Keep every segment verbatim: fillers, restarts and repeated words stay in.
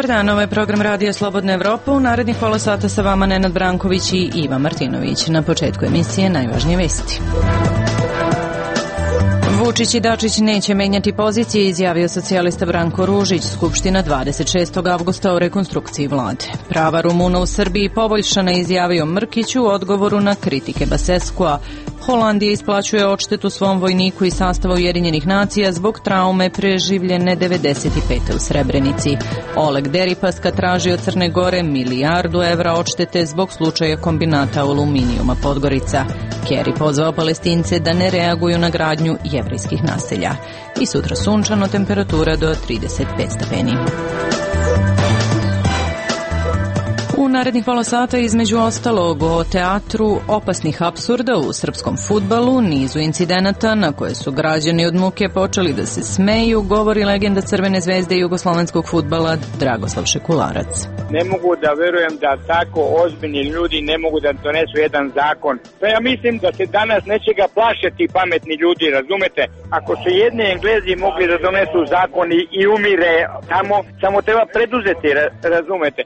dan, ovo je program Radija Slobodna Evropa. U narednih pola sata sa vama Nenad Branković i Iva Martinović. Na početku emisije najvažnije vesti. Vučić i Dačić neće menjati pozicije, izjavio socijalista Branko Ružić. Skupština dvadeset šestog avgusta o rekonstrukciji vlade. Prava Rumuna u Srbiji poboljšana, izjavio Mrkić u odgovoru na kritike Baseskua. Holandija isplaćuje odštetu svom vojniku iz sastava Ujedinjenih nacija zbog traume preživljene devedeset pete u Srebrenici. Oleg Deripaska traži od Crne Gore milijardu evra odštete zbog slučaja kombinata aluminijuma Podgorica. Kerry pozvao Palestince da ne reaguju na gradnju jevrejskih naselja. I sutra sunčano, temperatura do trideset pet stepeni. U narednih pola sata između ostalog o teatru opasnih apsurda u srpskom fudbalu, nizu incidenata na koje su građani od muke počeli da se smeju, govori legenda Crvene zvezde i jugoslovenskog fudbala Dragoslav Šekularac. Ne mogu da verujem da tako ozbiljni ljudi ne mogu da donesu jedan zakon. Pa ja mislim da se danas neće ga plašati pametni ljudi, razumete? Ako su jedni Englezi mogli da donesu zakon i, i umire tamo, samo treba preduzeti, razumete?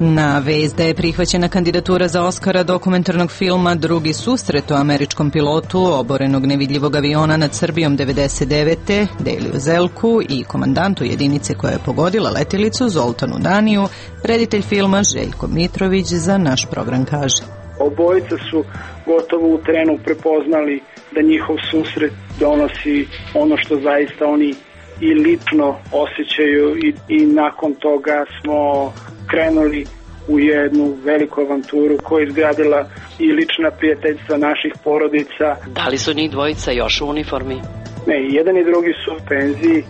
Na vest da je prihvaćena kandidatura za Oskara dokumentarnog filma Drugi susret o američkom pilotu oborenog nevidljivog aviona nad Srbijom devedeset devete Deliju Zelku i komandantu jedinice koja je pogodila letilicu Zoltanu Daniju, reditelj filma Željko Mitrović za naš program kaže. Obojica su gotovo u trenu prepoznali da njihov susret donosi ono što zaista oni i lično osjećaju i, i nakon toga smo krenuli u jednu veliku avanturu koja je izgradila i lična prijateljstva naših porodica. Da li su njih dvojica još u uniformi? Ne, jedan i drugi su u penziji.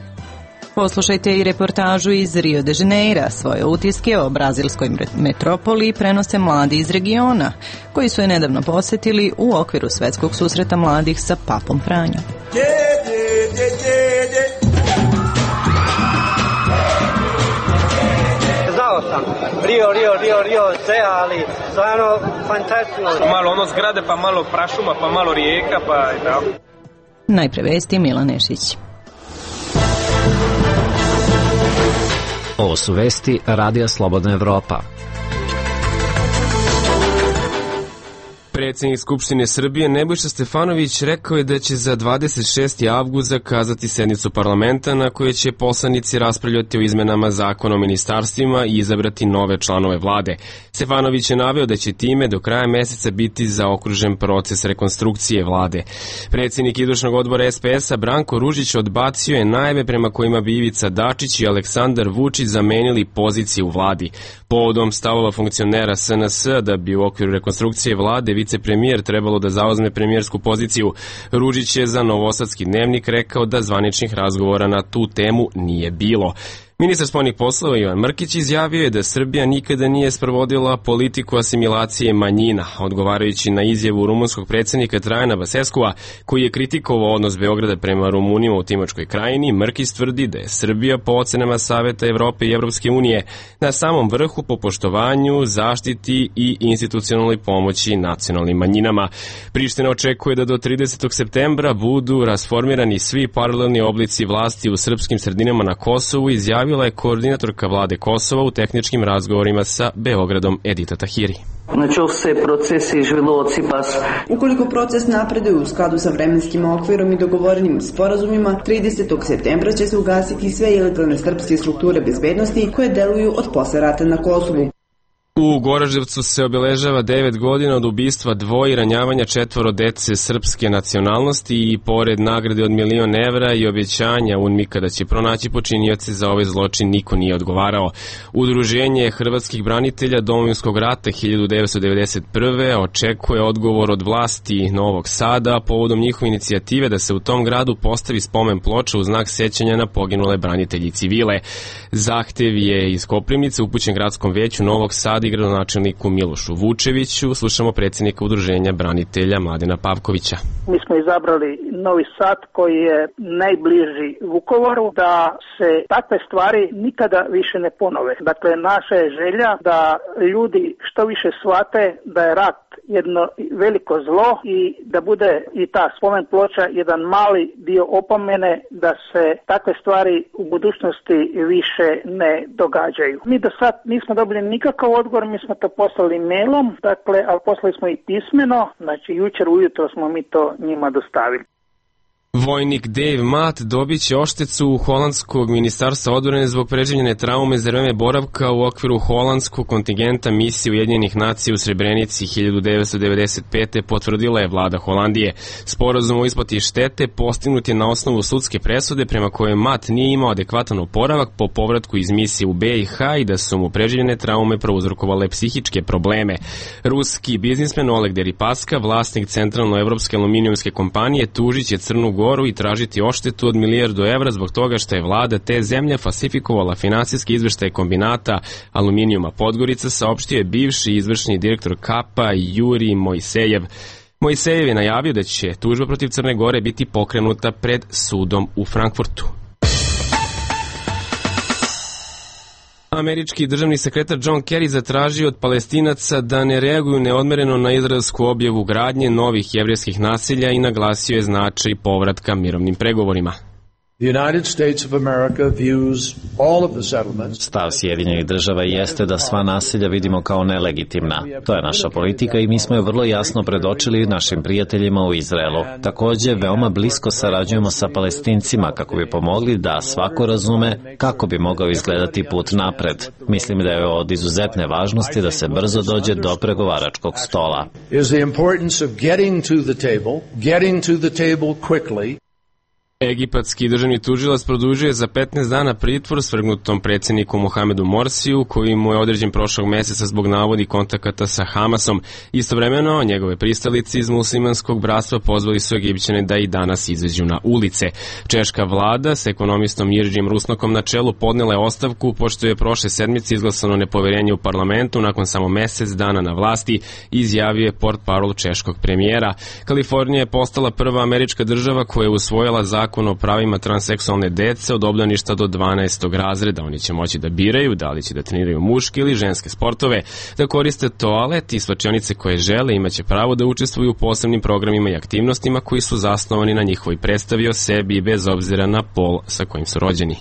Poslušajte i reportažu iz Rio de Janeira. Svoje utiske o brazilskoj metropoli prenose mladi iz regiona, koji su je nedavno posetili u okviru svetskog susreta mladih sa Papom Franjom. Sam. Rio, Rio, Rio, Rio, sve, ali stvarno fantastično. Malo ono zgrade, pa malo prašuma, pa malo rijeka, pa i tako. Najpre vesti Milan Nešić. Ovo su vesti Radija Slobodna Evropa. Predsjednik Skupštine Srbije Nebojša Stefanović rekao je da će za dvadeset šesti avgust zakazati sednicu parlamenta na kojoj će poslanici raspravljati o izmenama zakona o ministarstvima i izabrati nove članove vlade. Stefanović je naveo da će time do kraja meseca biti zaokružen proces rekonstrukcije vlade. Predsjednik izvršnog odbora es pe es a Branko Ružić odbacio je najave prema kojima bi Ivica Dačić i Aleksandar Vučić zamenili pozicije u vladi. Povodom stavova funkcionera es en es da bi u okviru rekonstrukcije vlade vicepremijer trebalo da zauzme premijersku poziciju, Ružić je za Novosadski dnevnik rekao da zvaničnih razgovora na tu temu nije bilo. Ministar spoljnih poslova Ivan Mrkić izjavio je da Srbija nikada nije sprovodila politiku asimilacije manjina, odgovarajući na izjavu rumunskog predsjednika Trajana Baseskua, koji je kritikovao odnos Beograda prema Rumunima u Timočkoj krajini. Mrkić tvrdi da je Srbija po ocenama Saveta Evrope i Evropske unije na samom vrhu po poštovanju, zaštiti i institucionalnoj pomoći nacionalnim manjinama. Priština očekuje da do tridesetog septembra budu rasformirani svi paralelni oblici vlasti u srpskim sredinama na Kosovu, izjavio je koordinatorka vlade Kosova u tehničkim razgovorima sa Beogradom Edita Tahiri. Ukoliko proces napreduje u skladu sa vremenskim okvirom i dogovorenim sporazumima, tridesetog septembra će se ugasiti sve ilegalne srpske strukture bezbednosti koje deluju od posle rata na Kosovu. U Goraždevcu se obeležava devet godina od ubistva dvoje i ranjavanja četvoro dece srpske nacionalnosti i pored nagrade od milion evra i obećanja UNMIK-a da će pronaći počinioce za ovaj zločin niko nije odgovarao. Udruženje hrvatskih branitelja Domovinskog rata hiljadu devetsto devedeset prve očekuje odgovor od vlasti Novog Sada povodom njihove inicijative da se u tom gradu postavi spomen ploča u znak sećanja na poginule branitelji civile. Zahtev je iz Koprivnice upućen gradskom veću Novog Sada vladi i gradonačelniku Milošu Vučeviću. Slušamo predsjednika udruženja branitelja Mladena Pavkovića. Mi smo izabrali Novi Sad koji je najbliži Vukovaru, da se takve stvari nikada više ne ponove. Dakle, naša je želja da ljudi što više shvate da je rat jedno veliko zlo i da bude i ta spomen ploča jedan mali dio opomene da se takve stvari u budućnosti više ne događaju. Mi do sad nismo dobili nikakav odgovor, mi smo to poslali mailom, dakle, ali poslali smo i pismeno, znači jučer ujutro smo mi to njima dostavili. Vojnik Dave Matt dobit će odštetu holandskog ministarstva odbrane zbog preživljene traume za vreme boravka u okviru holandskog kontingenta misije Ujedinjenih nacija u Srebrenici hiljadu devetsto devedeset pete. potvrdila je vlada Holandije. Sporazum o isplati štete postignut je na osnovu sudske presude prema kojoj Matt nije imao adekvatan oporavak po povratku iz misije u B i H i da su mu preživljene traume prouzrokovale psihičke probleme. Ruski biznismen Oleg Deripaska, vlasnik centralno-evropske aluminijumske kompanije, tužit će Crnu Goru i tražiti odštetu od milijardu evra zbog toga što je vlada te zemlje falsifikovala finansijski izveštaj kombinata aluminijuma Podgorica, saopštio je bivši izvršni direktor Kapa Juri Mojsejev. Mojsejev je najavio da će tužba protiv Crne Gore biti pokrenuta pred sudom u Frankfurtu. Američki državni sekretar John Kerry zatražio od Palestinaca da ne reaguju neodmereno na izraelsku objavu gradnje novih jevrejskih naselja i naglasio je značaj povratka mirovnim pregovorima. Stav Sjedinjenih država jeste da sva naselja vidimo kao nelegitimna. To je naša politika i mi smo je vrlo jasno predočili našim prijateljima u Izraelu. Također, veoma blisko sarađujemo sa Palestincima kako bi pomogli da svako razume kako bi mogao izgledati put napred. Mislim da je od izuzetne važnosti da se brzo dođe do pregovaračkog stola. Egipatski državni tužilac produžuje za petnaest dana pritvor svrgnutom predsjedniku Mohamedu Morsiju, koji mu je određen prošlog meseca zbog navodi kontakata sa Hamasom. Istovremeno, njegove pristalice iz muslimanskog bratstva pozvali su Egipćane da i danas izađu na ulice. Češka vlada s ekonomistom Jiržijim Rusnokom na čelu podnela je ostavku, pošto je prošle sedmice izglasano nepoverenje u parlamentu nakon samo mesec dana na vlasti, izjavio je portparol češkog premijera. Kalifornija je postala prva američka država koja je usvojila zakon o pravima transseksualne dece od obdaništa do dvanaestog razreda. Oni će moći da biraju da li će da treniraju muške ili ženske sportove, da koriste toalet i slačionice koje žele, imaće pravo da učestvuju u posebnim programima i aktivnostima koji su zasnovani na njihovoj predstavi o sebi bez obzira na pol sa kojim su rođeni.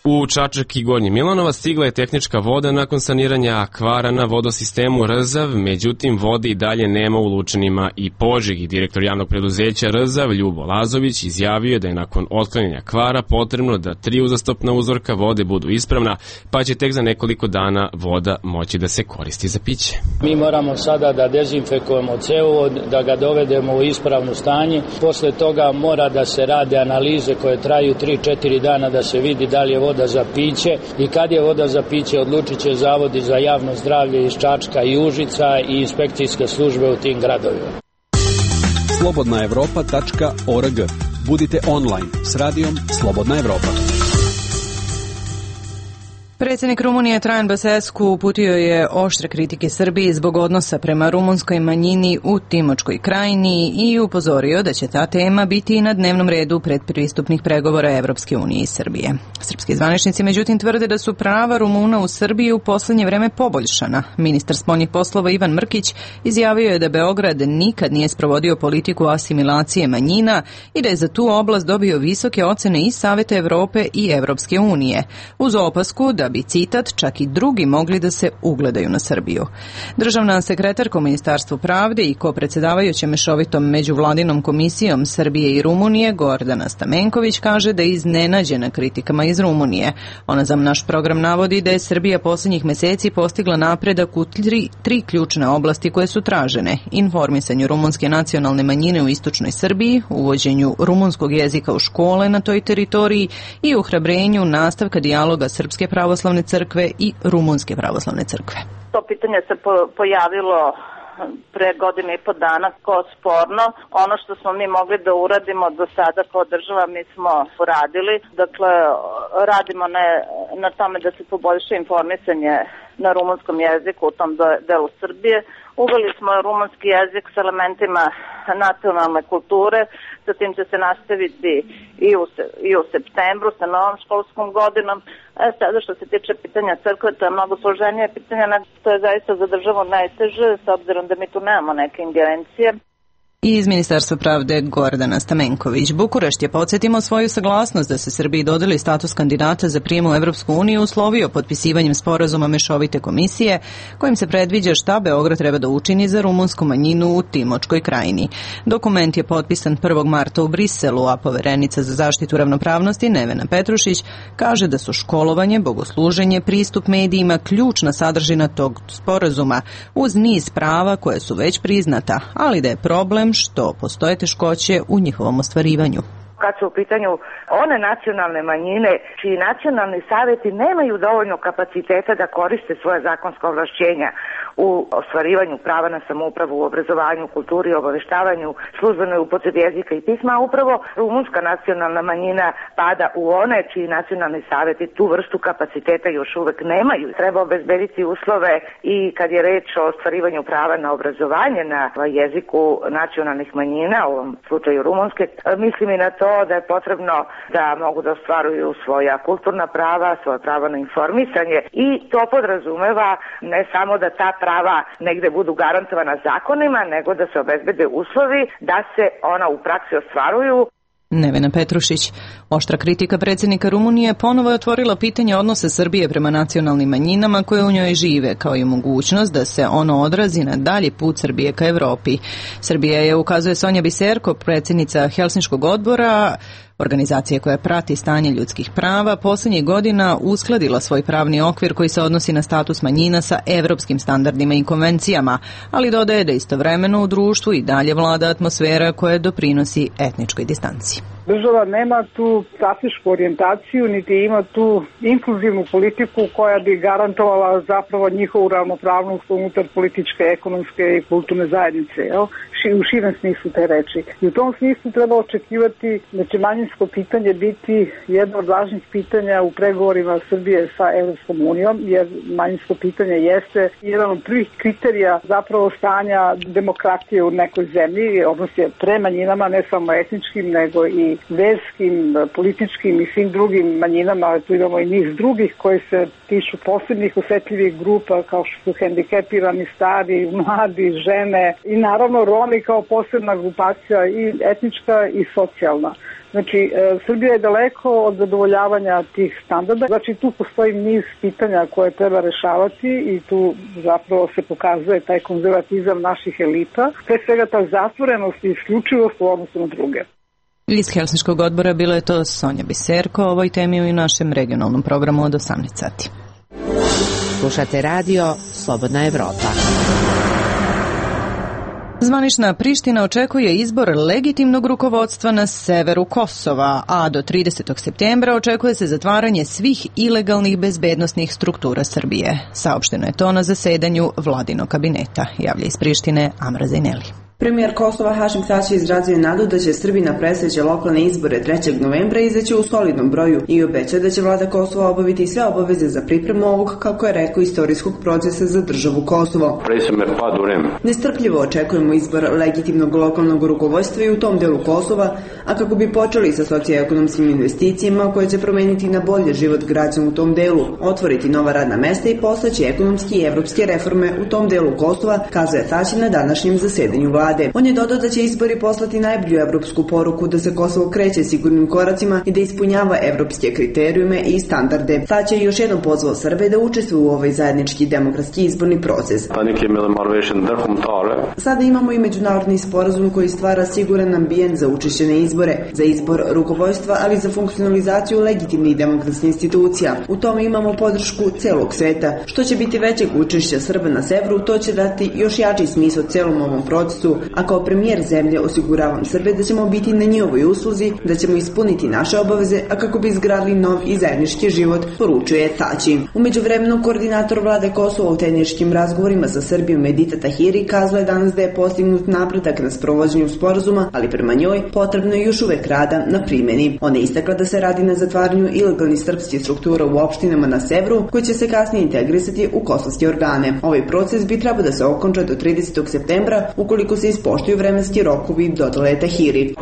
U Čačak i Gornji Milanovac stigla je tehnička voda nakon saniranja kvara na vodosistemu Rzav, međutim vode i dalje nema u Lučanima i Požegi. Direktor javnog preduzeća Rzav, Ljubo Lazović, izjavio je da je nakon otklanjanja kvara potrebno da tri uzastopna uzorka vode budu ispravna, pa će tek za nekoliko dana voda moći da se koristi za piće. Mi moramo sada da dezinfekujemo cevovod, da ga dovedemo u ispravno stanje. Posle toga mora da se rade analize koje traju tri četiri dana da se vidi da li je voda za piće i kad je voda za piće odlučit će zavodi za javno zdravlje iz Čačka i Užica i inspekcijske službe u tim gradovima. slobodna evropa tačka org. Budite online s radijom Slobodna Evropa. Predsjednik Rumunije Traian Băsescu uputio je oštre kritike Srbiji zbog odnosa prema rumunskoj manjini u Timočkoj krajini i upozorio da će ta tema biti na dnevnom redu predpristupnih pregovora Evropske unije i Srbije. Srpski zvaničnici međutim tvrde da su prava Rumuna u Srbiji u poslednje vreme poboljšana. Ministar spoljnih poslova Ivan Mrkić izjavio je da Beograd nikad nije sprovodio politiku asimilacije manjina i da je za tu oblast dobio visoke ocene i Saveta Evrope i Evropske unije, uz opasku da bi, citat, čak i drugi mogli da se ugledaju na Srbiju. Državna sekretarka u Ministarstvu pravde i kopredsedavajuća mešovitom međuvladinom komisijom Srbije i Rumunije Gordana Stamenković kaže da je iznenađena kritikama iz Rumunije. Ona za naš program navodi da je Srbija posljednjih meseci postigla napredak u tri, tri ključne oblasti koje su tražene: informisanju rumunske nacionalne manjine u istočnoj Srbiji, uvođenju rumunskog jezika u škole na toj teritoriji i uhrabrenju nastavka dijaloga Srpske pravoslavne crkve i Rumunske pravoslavne crkve. To pitanje se po, pojavilo pre godine i po dana kao sporno. Ono što smo mi mogli da uradimo do sada kao država, mi smo uradili. Dakle, radimo na, na tome da se poboljša informisanje na rumunskom jeziku u tom delu Srbije. Uveli smo rumunski jezik s elementima nacionalne kulture, zatim će se nastaviti i u, i u septembru sa novom školskom godinom. E sada što se tiče pitanja crkve, to je mnogo složenije pitanja, to je zaista za državu najteže, s obzirom da mi tu nemamo neke ingerencije. I iz Ministarstva pravde Gordana Stamenković. Bukurešt je, podsjetimo, svoju saglasnost da se Srbiji dodeli status kandidata za prijem u Evropsku uniju uslovio potpisivanjem sporazuma Mešovite komisije, kojim se predviđa šta Beograd treba da učini za rumunsku manjinu u Timočkoj krajini. Dokument je potpisan prvog marta u Briselu, a poverenica za zaštitu ravnopravnosti Nevena Petrušić kaže da su školovanje, bogosluženje, pristup medijima ključna sadržina tog sporazuma, uz niz prava koje su već priznata, ali da je problem što postoje teškoće u njihovom ostvarivanju. Kad su u pitanju one nacionalne manjine čiji nacionalni savjeti nemaju dovoljno kapaciteta da koriste svoje zakonska ovlašćenja u ostvarivanju prava na samoupravu, u obrazovanju, kulturi, obaveštavanju, službenoj upotrebi jezika i pisma, a upravo rumunska nacionalna manjina pada u one čiji nacionalni savjeti tu vrstu kapaciteta još uvek nemaju. Treba obezbediti uslove i kad je reč o ostvarivanju prava na obrazovanje na jeziku nacionalnih manjina, u ovom slučaju rumunske, mislim i na to da je potrebno da mogu da ostvaruju svoja kulturna prava, svoje pravo na informisanje i to podrazumeva ne samo da ta prava negde budu garantovana zakonima, nego da se obezbede uslovi da se ona u praksi ostvaruju. Nevena Petrušić. Oštra kritika predsjednika Rumunije ponovo je otvorila pitanje odnosa Srbije prema nacionalnim manjinama koje u njoj žive, kao i mogućnost da se ono odrazi na dalji put Srbije ka Evropi. Srbija je, ukazuje Sonja Biserko, predsjednica Helsinškog odbora, organizacije koja prati stanje ljudskih prava, posljednjih godina uskladila svoj pravni okvir koji se odnosi na status manjina sa evropskim standardima i konvencijama, ali dodaje da istovremeno u društvu i dalje vlada atmosfera koja doprinosi etničkoj distanci. Država nema tu stratešku orijentaciju, niti ima tu inkluzivnu politiku koja bi garantovala zapravo njihovu ravnopravnost unutar političke, ekonomske i kulturne zajednice, jel? U širem smislu te reči. I u tom smislu treba očekivati da će manjinsko pitanje biti jedno od važnih pitanja u pregovorima Srbije sa Evropskom unijom, jer manjinsko pitanje jeste jedan od prvih kriterija zapravo stanja demokratije u nekoj zemlji, odnos je pre manjinama, ne samo etničkim, nego i verskim, političkim i svim drugim manjinama, ali tu imamo i niz drugih koji se tiču posebnih osetljivih grupa kao što su hendikepirani, stari, mladi, žene i naravno Romi kao posebna grupacija i etnička i socijalna. Znači, e, Srbija je daleko od zadovoljavanja tih standarda. Znači, tu postoji niz pitanja koje treba rešavati i tu zapravo se pokazuje taj konzervatizam naših elita. Pre svega ta zatvorenost i isključivost u odnosu na druge. Iz Helsinškog odbora bilo je to Sonja Biserko, o ovoj temi u našem regionalnom programu od osamnaest sati. Slušate radio Slobodna Evropa. Zvanična Priština očekuje izbor legitimnog rukovodstva na severu Kosova, a do tridesetog septembra očekuje se zatvaranje svih ilegalnih bezbednosnih struktura Srbije. Saopšteno je to na zasedanju vladinog kabineta, javlja iz Prištine Amra Zajneli. Premijer Kosova Hašim Tači izrazio nadu da će Srbi na predstojeće lokalne izbore trećeg novembra izaći u solidnom broju i obeća da će vlada Kosova obaviti sve obaveze za pripremu ovog, kako je rekao, istorijskog procesa za državu Kosovo. Nestrpljivo očekujemo izbor legitimnog lokalnog rukovodstva i u tom delu Kosova, a kako bi počeli sa socioekonomskim investicijama koje će promeniti na bolje život građana u tom delu, otvoriti nova radna mesta i postaći ekonomski i evropske reforme u tom delu Kosova, kazuje Tači na današnjem zasedanju vlade. On je dodao da će izbori poslati najbolju evropsku poruku da se Kosovo kreće sigurnim koracima i da ispunjava evropske kriterijume i standarde. Tači je još jednom pozvao Srbe da učestvuju u ovaj zajednički demokratski izborni proces. Sada imamo i međunarodni sporazum koji stvara siguran ambijent za učešće na izbore, za izbor rukovodstva, ali i za funkcionalizaciju legitimnih demokratskih institucija. U tome imamo podršku celog sveta. Što će biti većeg učešća Srba na severu, to će dati još jači smisao celom ovom procesu, kontekstu, a kao premijer zemlje osiguravam Srbe da ćemo biti na njihovoj usluzi, da ćemo ispuniti naše obaveze, a kako bi izgradili nov i zajednički život, poručuje Tači. U međuvremenu koordinator vlade Kosova u tehničkim razgovorima sa Srbijom Edita Tahiri kazala je danas da je postignut napredak na sprovođenju sporazuma, ali prema njoj potrebno je još uvek rada na primjeni. Ona je istakla da se radi na zatvaranju ilegalnih srpskih struktura u opštinama na severu, koji će se kasnije integrisati u kosovske organe. Ovaj proces bi trebao da se okonča do tridesetog septembra ukoliko se ispoštuju vremenski rokovi, dodala je Tahiri.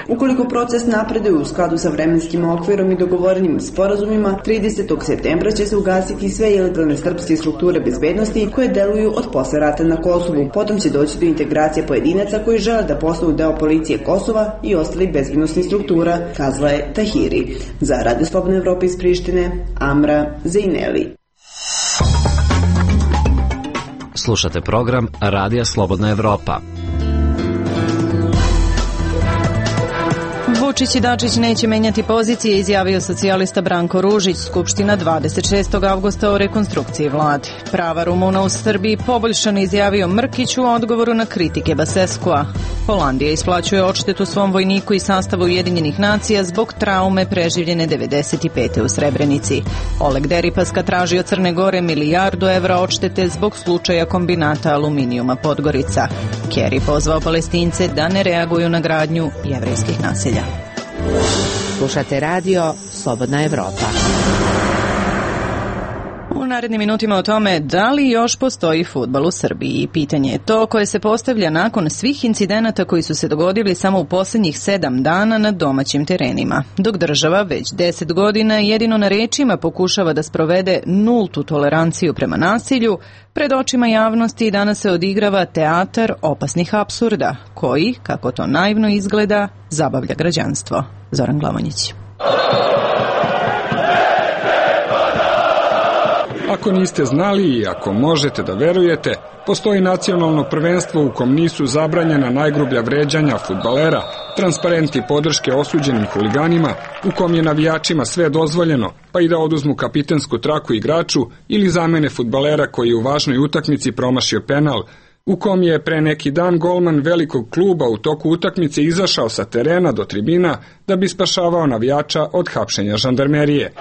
Ukoliko proces napreduje u skladu sa vremenskim okvirom i dogovorenim sporazumima, tridesetog septembra će se ugasiti sve ilegalne srpske strukture bezbednosti koje deluju od posle rata na Kosovu. Potom će doći do integracije pojedinaca koji žele da postanu deo policije Kosova i ostalih bezbednosnih struktura, kazala je Tahiri. Za Radio Slobodna Evropa iz Prištine, Amra Zejneli. Slušate program Radija Slobodna Evropa. Vučić i Dačić neće menjati pozicije, izjavio socijalista Branko Ružić. Skupština dvadeset šestog avgusta o rekonstrukciji vlade. Prava Rumuna u Srbiji poboljšana, izjavio Mrkić u odgovoru na kritike Baseskua. Holandija isplaćuje odštetu svom vojniku i sastavu Ujedinjenih nacija zbog traume preživljene devedeset pete u Srebrenici. Oleg Deripaska traži od Crne Gore milijardu evra odštete zbog slučaja kombinata aluminijuma Podgorica. Kerry pozvao Palestince da ne reaguju na gradnju jevrejskih naselja. Slušate radio Slobodna Evropa. U narednim minutima o tome da li još postoji fudbal u Srbiji. Pitanje je to koje se postavlja nakon svih incidenata koji su se dogodili samo u posljednjih sedam dana na domaćim terenima. Dok država već deset godina jedino na rečima pokušava da sprovede nultu toleranciju prema nasilju, pred očima javnosti danas se odigrava teatar opasnih apsurda, koji, kako to naivno izgleda, zabavlja građanstvo. Zoran Glamonjić. Ako niste znali i ako možete da verujete, postoji nacionalno prvenstvo u kom nisu zabranjena najgrublja vređanja fudbalera, transparenti podrške osuđenim huliganima, u kom je navijačima sve dozvoljeno, pa i da oduzmu kapitensku traku igraču ili zamene fudbalera koji je u važnoj utakmici promašio penal, u kom je pre neki dan golman velikog kluba u toku utakmice izašao sa terena do tribina da bi spašavao navijača od hapšenja žandarmerije.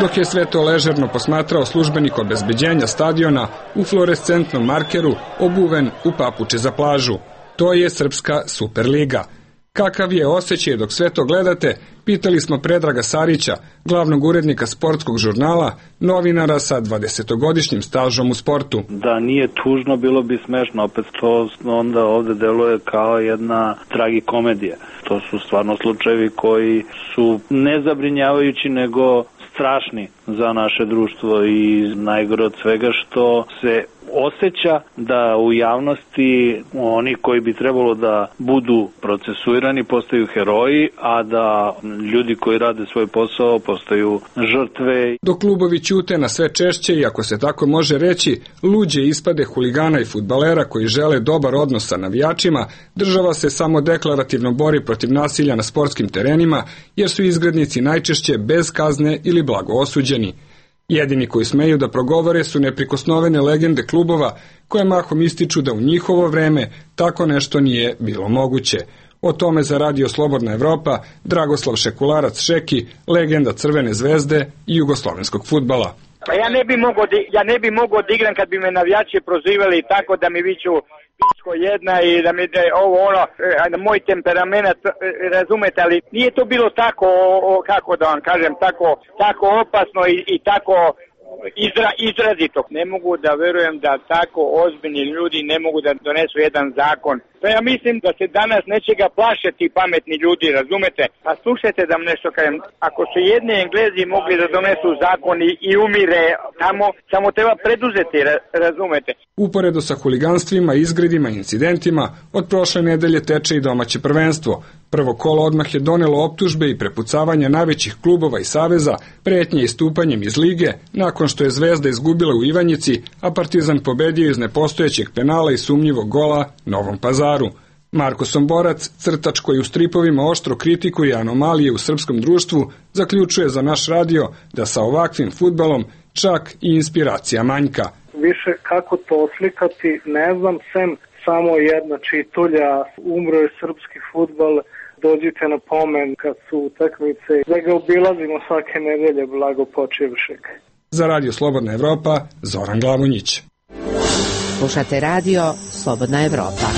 Dok je sve to ležerno posmatrao službenik obezbeđenja stadiona u fluorescentnom markeru obuven u papuče za plažu. To je Srpska Superliga. Kakav je osjećaj dok sve to gledate, pitali smo Predraga Sarića, glavnog urednika sportskog žurnala, novinara sa dvadesetogodišnjim stažom u sportu. Da nije tužno, bilo bi smešno, opet to onda ovde deluje kao jedna tragikomedija. To su stvarno slučajevi koji su ne zabrinjavajući, nego strašni za naše društvo i najgore od svega što se osjeća da u javnosti oni koji bi trebalo da budu procesuirani postaju heroji, a da ljudi koji rade svoj posao postaju žrtve. Dok klubovi ćute na sve češće i, ako se tako može reći, luđe ispade huligana i fudbalera koji žele dobar odnos sa navijačima, država se samo deklarativno bori protiv nasilja na sportskim terenima, jer su izgrednici najčešće bez kazne ili blago osuđeni. Jedini koji smeju da progovore su neprikosnovene legende klubova koje mahom ističu da u njihovo vreme tako nešto nije bilo moguće. O tome za Radio Slobodna Evropa Dragoslav Šekularac Šeki, legenda Crvene zvezde i jugoslovenskog fudbala. Pa ja ne bi mogao da, ja ne bi mogao da igram kad bi me navijači prozivali tako da mi viču pičko jedna i da mi da ovo ono, moj temperament, razumete, ali nije to bilo tako, o, kako da vam kažem, tako, tako opasno i, i tako izra, izrazito. Ne mogu da verujem da tako ozbiljni ljudi ne mogu da donesu jedan zakon. Pa ja mislim da se danas nečega plaše ti pametni ljudi, razumete? Pa slušajte da vam nešto kažem, ako su jedni Englezi mogli da donesu zakon i, i umire tamo, samo treba preduzeti, razumete? Uporedo sa huliganstvima, izgredima i incidentima, od prošle nedelje teče i domaće prvenstvo. Prvo kolo odmah je donelo optužbe i prepucavanja najvećih klubova i saveza, pretnje istupanjem iz lige, nakon što je Zvezda izgubila u Ivanjici, a Partizan pobedio iz nepostojećeg penala i sumnjivog gola Novom Pazaru. Marko Somborac, crtač koji u stripovima oštro kritikuje anomalije u srpskom društvu, zaključuje za naš radio da sa ovakvim fudbalom čak i inspiracija manjka. Više kako to oslikati, ne znam, sem samo jedna čitulja, umro je srpski fudbal, dođite na pomen kad su utakmice, da ga obilazimo svake nedelje, blago počivšeg. Za Radio Slobodna Evropa, Zoran Glavonjić. Slušate radio Slobodna Evropa.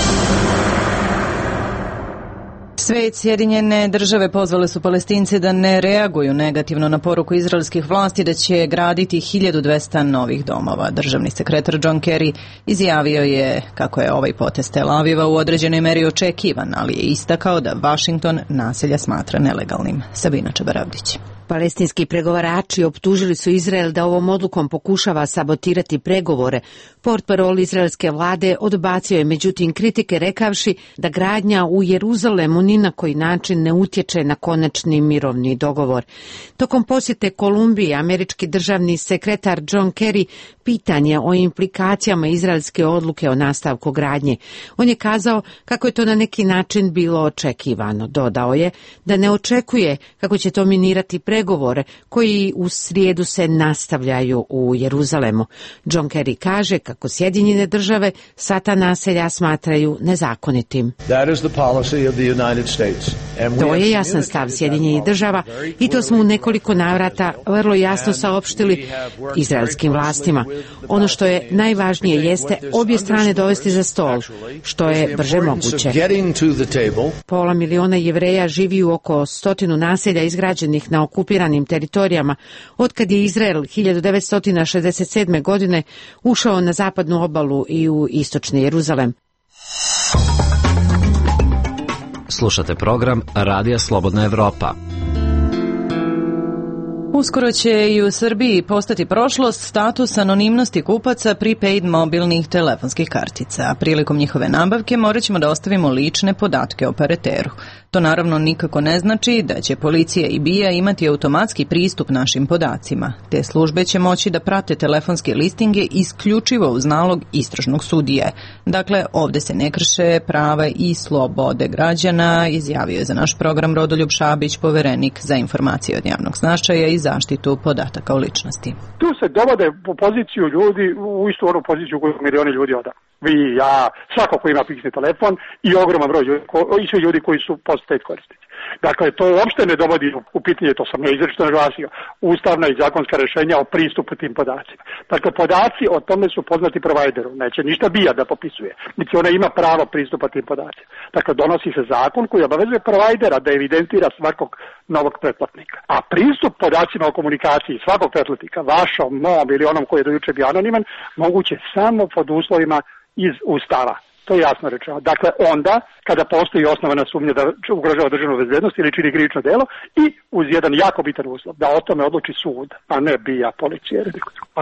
Svet, Sjedinjene države pozvale su Palestince da ne reaguju negativno na poruku izraelskih vlasti da će graditi hiljadu dvesta novih domova. Državni sekretar John Kerry izjavio je kako je ovaj potez Tel Aviva u određenoj meri očekivan, ali je istakao da Washington naselja smatra nelegalnim. Sabina Čabaravdić. Palestinski pregovarači optužili su Izrael da ovom odlukom pokušava sabotirati pregovore. Portparol izraelske vlade odbacio je međutim kritike rekavši da gradnja u Jeruzalemu ni na koji način ne utječe na konačni mirovni dogovor. Tokom posjete Kolumbiji, američki državni sekretar John Kerry pitan je o implikacijama izraelske odluke o nastavku gradnje. On je kazao kako je to na neki način bilo očekivano. Dodao je da ne očekuje kako će to minirati pregovore koji u srijedu se nastavljaju u Jeruzalemu. John Kerry kaže kako Sjedinjene države sva ta naselja smatraju nezakonitim. To je jasan stav Sjedinjenih država i to smo u nekoliko navrata vrlo jasno saopštili izraelskim vlastima. Ono što je najvažnije jeste obje strane dovesti za stol, što je brže moguće. Pola miliona Jevreja živi u oko stotinu naselja izgrađenih na okupiranim teritorijama, otkad je Izrael hiljadu devetsto šezdeset sedme. godine ušao na zapadnu obalu i u istočni Jeruzalem. Slušate program Radija Slobodna Evropa. Uskoro će i u Srbiji postati prošlost status anonimnosti kupaca prepaid mobilnih telefonskih kartica, a prilikom njihove nabavke morat ćemo da ostavimo lične podatke operateru. To naravno nikako ne znači da će policija i B I A imati automatski pristup našim podacima. Te službe će moći da prate telefonske listinge isključivo uz nalog istražnog sudije. Dakle, ovde se ne krše prava i slobode građana, izjavio je za naš program Rodoljub Šabić, poverenik za informacije od javnog značaja i zaštitu podataka o ličnosti. Tu se dovode u poziciju ljudi, u istu onu poziciju koju milioni ljudi oda. Vi, ja, svako ko ima fiksni telefon i ogroman broj ljudi, i svi ljudi koji su post-paid korisnici. Dakle, to uopšte ne dovodi u pitanje, to sam ja izrečito naglasio, ustavna i zakonska rešenja o pristupu tim podacima. Dakle, podaci o tome su poznati provajderu, neće ništa B I A da popisuje, niti ona ima pravo pristupa tim podacima. Dakle, donosi se zakon koji obavezuje provajdera da evidentira svakog novog pretplatnika. A pristup podacima o komunikaciji svakog pretplatnika, vašom, mom ili onom koji je do juče bio anoniman, moguće samo pod uslovima iz Ustava. To je jasno rečeno. Dakle, onda, kada postoji osnovana sumnja da ugrožava državnu bezbednost ili čini krivično delo i uz jedan jako bitan uslov, da o tome odluči sud, a ne B I A, policija.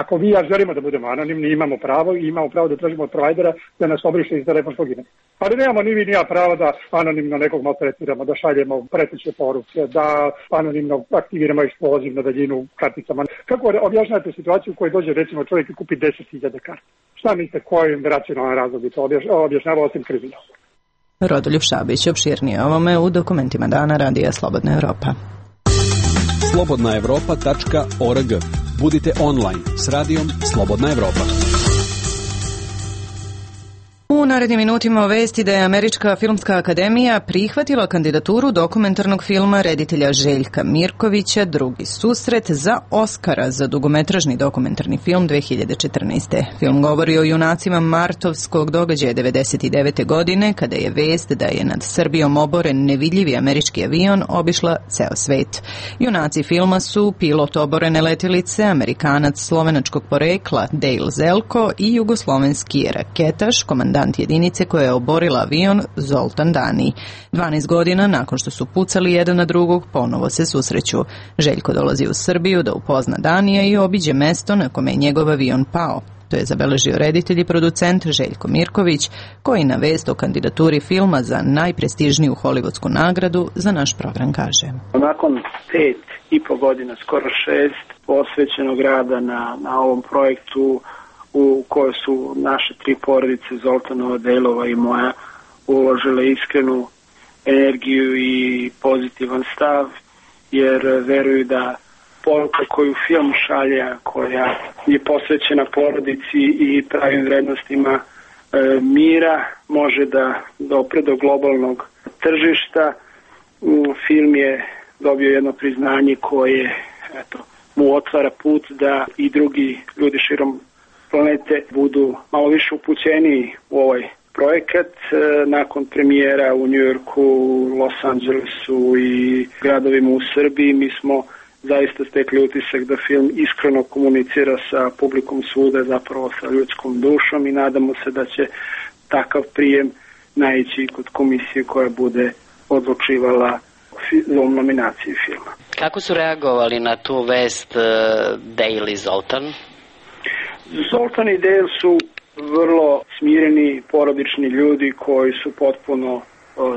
Ako vi ja želimo da budemo anonimni, imamo pravo i imamo pravo da tražimo od provajdera da nas obriše iz telefonskog imena. Ali nemamo ni vi ni ja pravo da anonimno nekog maltretiramo, da šaljemo preteće poruke, da anonimno aktiviramo eksploziv na daljinu karticama. Kako objašnjavate situaciju u kojoj dođe recimo čovjek i kupi deset hiljada karti? Šta mislite, kojim racionalnom razlogu to objašnjava osim kriminal? Rodoljub Šabić opširnije ovome u dokumentima dana Radija Slobodna Evropa. slobodna evropa tačka org. Budite online s radijom Slobodna Evropa. U narednim minutima vesti da je Američka filmska akademija prihvatila kandidaturu dokumentarnog filma reditelja Željka Mirkovića Drugi susret za Oskara za dugometražni dokumentarni film dve hiljade četrnaeste. Film govori o junacima martovskog događaja devedeset devete. godine kada je vest da je nad Srbijom oboren nevidljivi američki avion obišla ceo svet. Junaci filma su pilot oborene letelice, Amerikanac slovenačkog porekla Dale Zelko i jugoslovenski raketaš, komandant jedinice koja je oborila avion Zoltan Dani. dvanaest godina nakon što su pucali jedan na drugog, ponovo se susreću. Željko dolazi u Srbiju da upozna Danija i obiđe mesto na kome je njegov avion pao. To je zabeležio reditelj i producent Željko Mirković, koji na vest o kandidaturi filma za najprestižniju hollywoodsku nagradu za naš program kaže. Nakon pet i po godina, skoro šest, posvećenog rada na, na ovom projektu u kojoj su naše tri porodice, Zoltanova, Delova i moja, uložile iskrenu energiju i pozitivan stav, jer veruju da poruka koju film šalje, koja je posvećena porodici i pravim vrednostima e, mira, može da dopre do globalnog tržišta. Film je dobio jedno priznanje koje eto, mu otvara put da i drugi ljudi širom planete budu malo više upućeni u ovaj projekat. Nakon premijera u Njujorku, Los Angelesu i gradovima u Srbiji, mi smo zaista stekli utisak da film iskreno komunicira sa publikom svuda, zapravo sa ljudskom dušom, i nadamo se da će takav prijem naići kod komisije koja bude odlučivala o nominaciji filma. Kako su reagovali na tu vest uh, Dale i Zoltan? Zoltan i Dale su vrlo smireni, porodični ljudi koji su potpuno uh,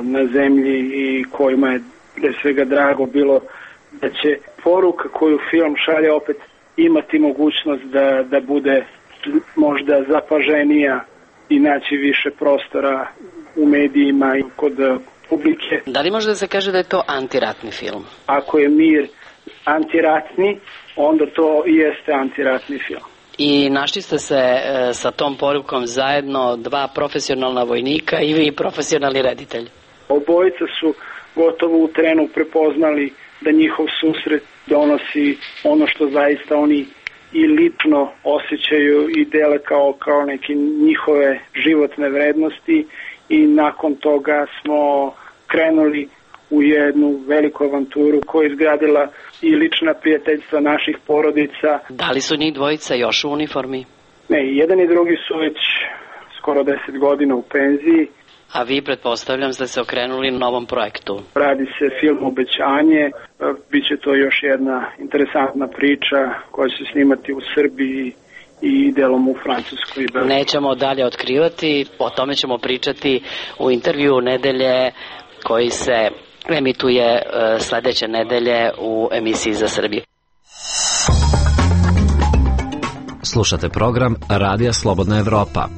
na zemlji i kojima je pre svega drago bilo da će poruka koju film šalje opet imati mogućnost da, da bude možda zapaženija i naći više prostora u medijima i kod publike. Da li može da se kaže da je to antiratni film? Ako je mir antiratni, onda to i jeste antiratni film. I našli ste se e, sa tom porukom zajedno, dva profesionalna vojnika i vi profesionalni reditelj. Obojica su gotovo u trenu prepoznali da njihov susret donosi ono što zaista oni i lično osjećaju i dele kao, kao neke njihove životne vrednosti, i nakon toga smo krenuli u jednu veliku avanturu koja je izgradila i lična prijateljstva naših porodica. Da li su njih dvojica još u uniformi? Ne, jedan i drugi su već skoro deset godina u penziji. A vi, pretpostavljam, ste se okrenuli novom projektu. Radi se film Obećanje, biće to još jedna interesantna priča koja će se snimati u Srbiji i delom u Francuskoj. Nećemo dalje otkrivati, o tome ćemo pričati u intervju nedelje koji se emituje sledeće nedelje u emisiji za Srbiju. Slušate program Radija Slobodna Evropa.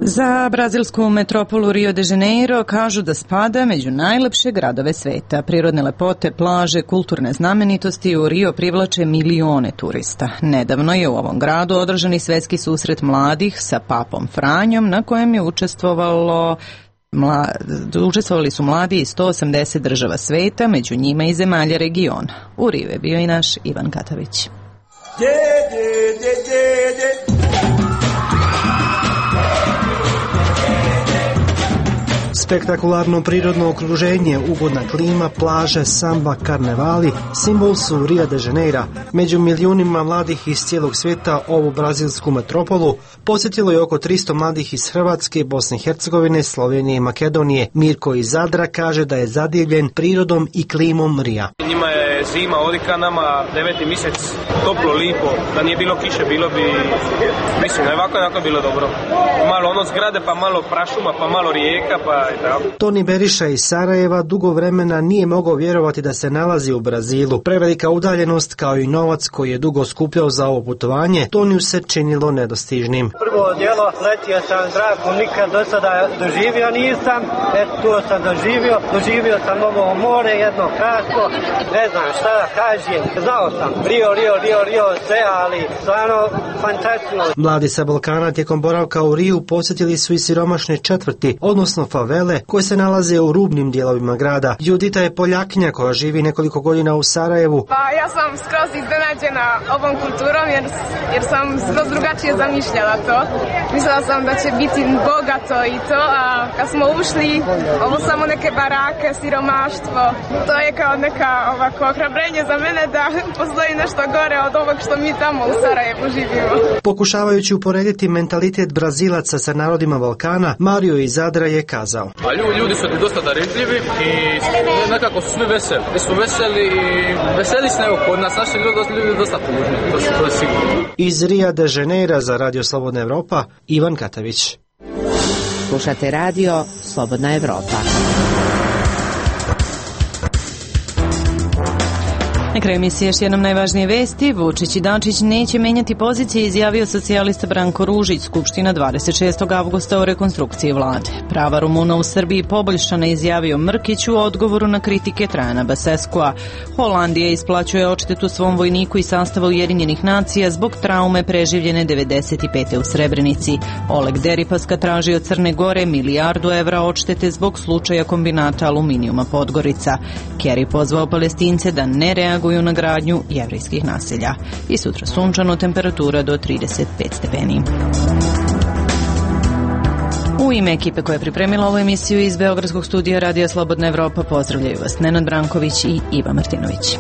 Za brazilsku metropolu Rio de Janeiro kažu da spada među najlepše gradove sveta. Prirodne lepote, plaže, kulturne znamenitosti u Rio privlače milione turista. Nedavno je u ovom gradu održani svetski susret mladih sa papom Franjom, na kojem je učestvovalo Mla, učestvovali su mladi iz sto osamdeset država sveta, među njima i zemalja regiona. U Rio je bio i naš Ivan Katavić. Spektakularno prirodno okruženje, ugodna klima, plaže, samba, karnevali simbol su Rio de Janeira. Među milijunima mladih iz cijelog svijeta ovu brazilsku metropolu posjetilo je oko tristo mladih iz Hrvatske, Bosne i Hercegovine, Slovenije i Makedonije. Mirko iz Zadra kaže da je zadivljen prirodom i klimom Rija. Njima je zima odika, nama deveti mjesec, toplo, lipo. Da nije bilo kiše, bilo bi, mislim, ovako je bilo dobro. Malo ono zgrade, pa malo prašuma, pa malo rijeka, pa Toni Beriša iz Sarajeva dugo vremena nije mogao vjerovati da se nalazi u Brazilu. Prevelika udaljenost kao i novac koji je dugo skupljao za ovo putovanje, Toniju se činilo nedostižnim. Prvo djelo, letio sam zrakom, nikad do sada doživio nisam, eto tu sam doživio, doživio sam ovo more jedno kratko, ne znam šta da kažem, znao sam, Rio, Rio, Rio, Rio, sve, ali stvarno fantastično. Mladi sa Balkana tijekom boravka u Riju posjetili su i siromašne četvrti, odnosno favele, koje se nalaze u rubnim dijelovima grada. Judita je Poljakinja koja živi nekoliko godina u Sarajevu. Pa ja sam skroz iznenađena ovom kulturom jer, jer sam skroz drugačije zamišljala to. Mislila sam da će biti bogato i to, a kad smo ušli, ovo samo neke barake, siromaštvo. To je kao neka ovako ohrabrenje za mene da postoji nešto gore od ovog što mi tamo u Sarajevu živimo. Pokušavajući uporediti mentalitet Brazilaca sa narodima Balkana, Mario iz Zadra je kazao. A ljudi su dosta darežljivi i nekako su svi veseli. Mi smo veseli i veseli se nego kod nas, naši ljudi, ljudi dosta tužni, to, to je sigurno. Iz Rio de Janeira za Radio Slobodna Evropa, Ivan Katavić. Slušate Radio Slobodna Evropa. Na kraju emisije još jednom najvažnije vesti. Vučić i Dačić neće menjati pozicije, izjavio socijalista Branko Ružić. Skupština dvadeset šestog avgusta o rekonstrukciji vlade. Prava Rumuna u Srbiji poboljšana, izjavio Mrkić u odgovoru na kritike Trajana Baseskua. Holandija isplaćuje odštetu svom vojniku i sastava Ujedinjenih nacija zbog traume preživljene devedeset pete u Srebrenici. Oleg Deripaska traži od Crne Gore milijardu evra odštete zbog slučaja kombinata aluminijuma Podgorica. Kerry pozvao Palestince da ne reaguju na gradnju jevrejskih naselja. I sutra sunčano, temperatura do trideset pet stepeni. U ime ekipe koja je pripremila ovu emisiju iz Beogradskog studija Radija Slobodna Evropa pozdravljaju vas Nenad Branković i Iva Martinović.